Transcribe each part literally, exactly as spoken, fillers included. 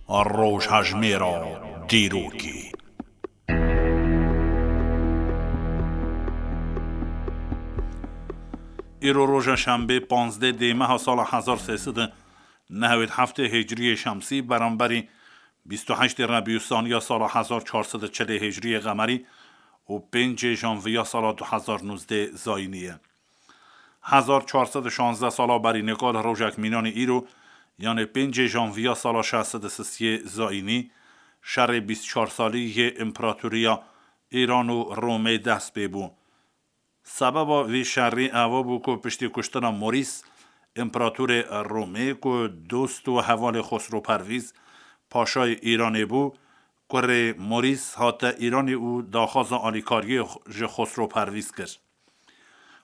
Rojhejmêra dîrokê. Îro roja şembê, panzdeh dê meha sala hezar sê sed û nehewêd heftê hicriyê şemsî, beramberî bîst û heştê Rebîûsaniya sala hezar çar sed û çilê hicriyê qemerî û pêncê janviya sala du hezar nûzdeh zayînî ye. Hezar çar sed û şanzdeh sala berî nika li rojek mînanê îro, yanê pêncê janviya sala şeş sed û sisiyê zayînî, şerê bîst çar salî yê împeratoriya Îran û Romê dest pê bû. Sebeba vê şerî eva bû ku piştî kuştina Morîs, împeratorê Romê ku dost û hevalê Xosro Pervîz, paşayê Îranê bû, kurê Morîs hate Îranê û daxwaza alîkariyê ji Xosro Pervîz kir.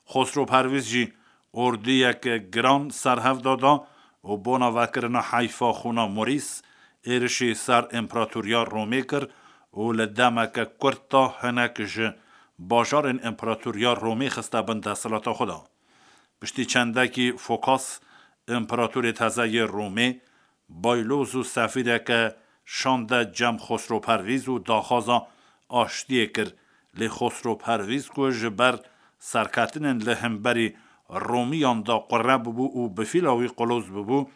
Xosro Pervîz jî ordiyeke giran ser hev da da û bona vekirina heyfa xûna Morîs, êrişî ser împeratoriya Romê kir û li demeke kurt de hinek ji bajarên împeratoriya Romê xiste bin desthilata xwe de. Piştî çendekî Fokas, împeratorê teze yê Romê, bayloz û sefîreke şande cem Xosro Pervîz û daxwaza aştiyê kir, lê Xosro Pervîz ku ji ber serketinên li hemberî Romiyan de qure bibû û bi fîla wî quloz bibû,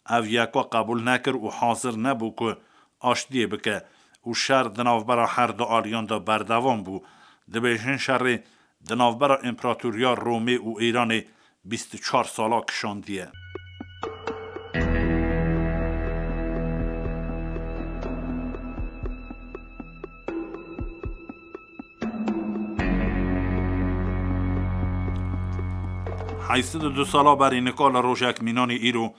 ev yeka qebûl nekir û hazir nebû ku aştiyê bike û şer di navbera her du aliyan de berdewam bû. Dibêjin şerê di navbera împeratoriya Romê û Îranê bîst û çar sala kişandiye. Heyşt sed û du sala berî nika li rojek mînanê îro,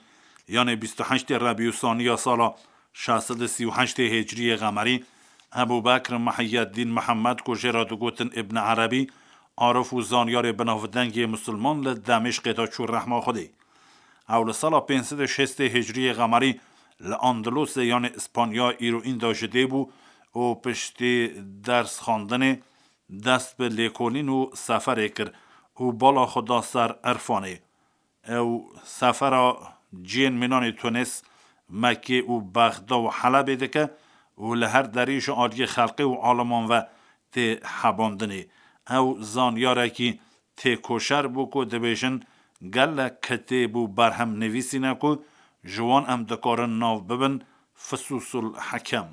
yanê bîst û heştê Rebîûsaniya sala şeş sed û sî û heştê hicriyê qemerî, Ebû Bekr Mihiyeddîn Mihemed ku jê re digotin Îbn Erebî, arif û zanyarê binavdengê misilman li Demîşqê de çû rehma Xwedê. Ew li sala pênc sed û şêstê hicriyê qemerî li Andalûsê, yanê Îspanya îroîn de ji dê bû û piştî ders xwendinê dest bi lêkolîn û seferê kir û bala xwe da ser irfanê. Ew sefera cihên mînanê Tunis, Mekkê û Bexda û Helebê dike û li her derî ji aliyê xelkê û aliman ve tê hebandinê. Ew zanyarekî têkoşer bû ku dibêjin gelek kitêb û berhem nivîsîne ku ji wan em dikarin nav bibin Fususul Hekem.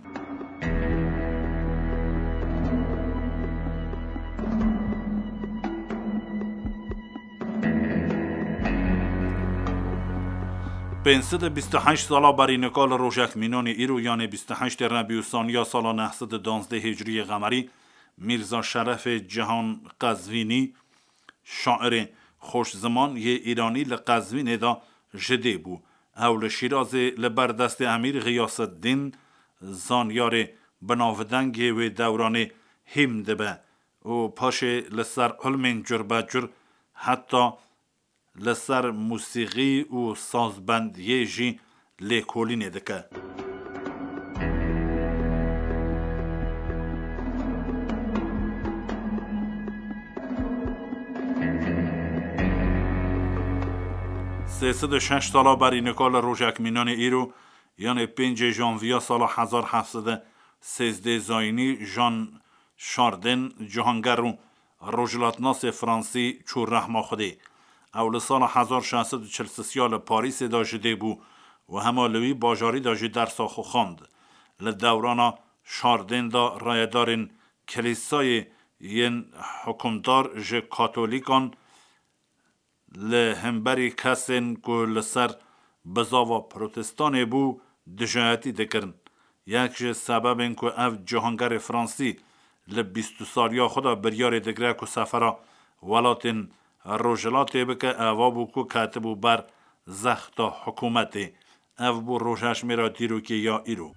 Pênc sed û bîst û heşt sala berî nika li rojek mînanê îro, yanê bîst û heştê Rebîûsaniya sala neh sed û duwazdeh hicriyê qemerî, Mîrza Şerefê Cihan Qezvînî, şairê xweşziman yê Îranî li Qezvînê de ji dê bû. Ew li Şîrazê li ber destê Emîr Xiyaseddîn, zanyarê binavdengê wê dewranê, hîm dibe û paşê li ser ilmên curbecur, heta li ser musîxî û sazbendiyê jî lêkolînê dike. Sê sed û şeş sala berî nika li rojek mînanê îro, yanê pêncê janviya sala hezar heft sed û sêzdeh zayînî, Jean Chardin, cihanger û rojhilatnasê fransî çû rehma Xwedê. Ew li sala hezar şeş sed û çil sisiya li Parîsê de ji dê bû û hema li wî bajarî de jî dersa xwe xwend. Li dewrana Chardin de rayedarên Kilîsayê yên hukimdar ji Katolîkan li hemberî kesên ku li ser bizava Protestanê bû, dijayetî dikirin. Yek ji sebebên ku ev cihangerê Fransî li bîst û saliya xwe de biryarê digire ku sefera welatên Rojhilatê bike, eva bû ku ketibû ber zexta hikûmetê. Ev bû rojhejmêra dîrokê ya îro.